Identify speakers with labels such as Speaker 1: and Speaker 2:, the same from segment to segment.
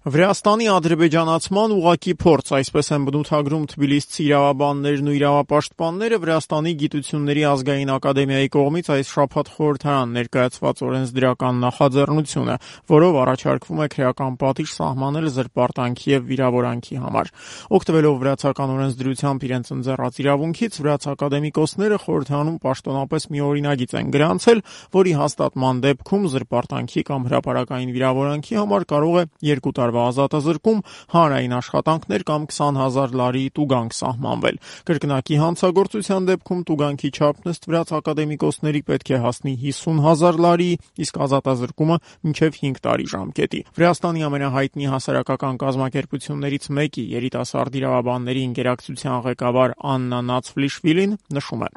Speaker 1: Վրաստանի ադրբեջանացման ուղղակի փորձ, այսպես են բնութագրում թբիլիսցի իրավաբաններն ու իրավապաշտպանները Վրաստանի գիտությունների ազգային ակադեմիայի կողմից այս շաբաթ խորհրդարան ներկայացված օրենսդրական նախաձեռնությունը, որով առաջարկվում է քրեական պատիժ սահմանել զրպարտանքի եւ վիրավորանքի համար։ Օգտվելով վրացական օրենսդրությամբ իրենց ընձեռած իրավունքից, վրաց ակադեմիկոսները խորհրդարանում պաշտոնապես մի օրինագիծ են գրանցել, որի հաստատման դեպքում զրպարտանքի կամ հրապարակային վիրավորանքի համար կարող է 2 տարվա ազատազրկում, հանրային աշխատանքներ կամ 20,000 լարի տուգանք սահմանվել։ Կրկնակի հանցագործության դեպքում տուգանքի չափն ըստ վրաց ակադեմիկոսների պետք է հասնի 50,000 լարի, իսկ ազատազրկումը մինչև 5 տարի ժամկետի։ Վրաստանի ամենահայտնի հասարակական կազմակերպություններից մեկի երիտասարդ իրավաբանների ինտերակցիան ղեկավար Աննա Նացվլիշվիլին նշում է.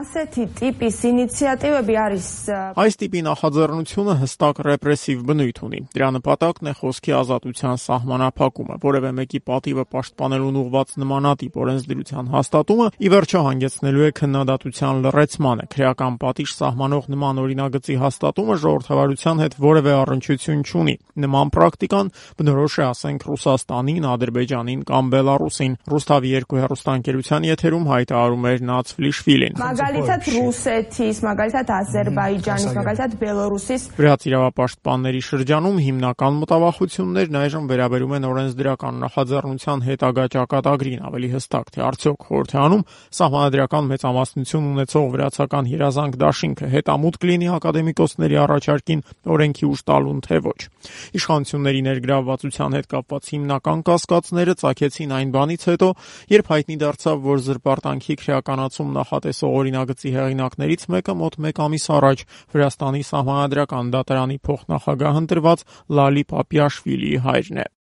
Speaker 1: Այս տիպի նախաձեռնությունը հստակ ռեպրեսիվ բնույթ ունի։ Դրա նպատակն է խոսքի ազատության սահմանափակումը, որևէ մեկի պատիվը պաշտպանելուն ուղղված նմանատիպ օրենսդրության հաստատումը ի վերջո հանգեցնելու է քննադատության լռեցմանը։ Քրեական պատիժ սահմանող նման օրինագծի հաստատումը ժողովրդավարության հետ որևէ առնչություն չունի։ Նման պրակտիկան բնորոշ է, ասենք, Ռուսաստանին, Ադրբեջանին կամ Բելարուսին։ Ռուսթավի 2 հեռուստաընկերության եթերում հայտարարում էր Նացվլիշվիլին։ Վրաց իրավապաշտպանների շրջանում հիմնական մտավախություններն այժմ վերաբերում են օրենսդրական նախաձեռնության հետագա ճակատագրին, ավելի հստակ, թե արդյոք խորհրդարանում սահմանադրական մեծամասնություն ունեցող վրացական երազանք դաշինքը հետամուտք լինի ակադեմիկոսների առաջարկին օրենքի ուժ տալուն, թե ոչ։ Իշխանությունների ներգրավվածության հետ կապված հիմնական կասկածները ծագեցին այն բանից հետո, երբ հայտնի դարձավ, որ զրպարտանքի քրեականացում նախատեսող օրինագծի հեղինակներից մեկը մոտ 1 ամիս առաջ Վրաստանի սահմանադրական դատարանի փոխնախագահ ընտրված Լալի Պապիաշվիլիի հայրն է։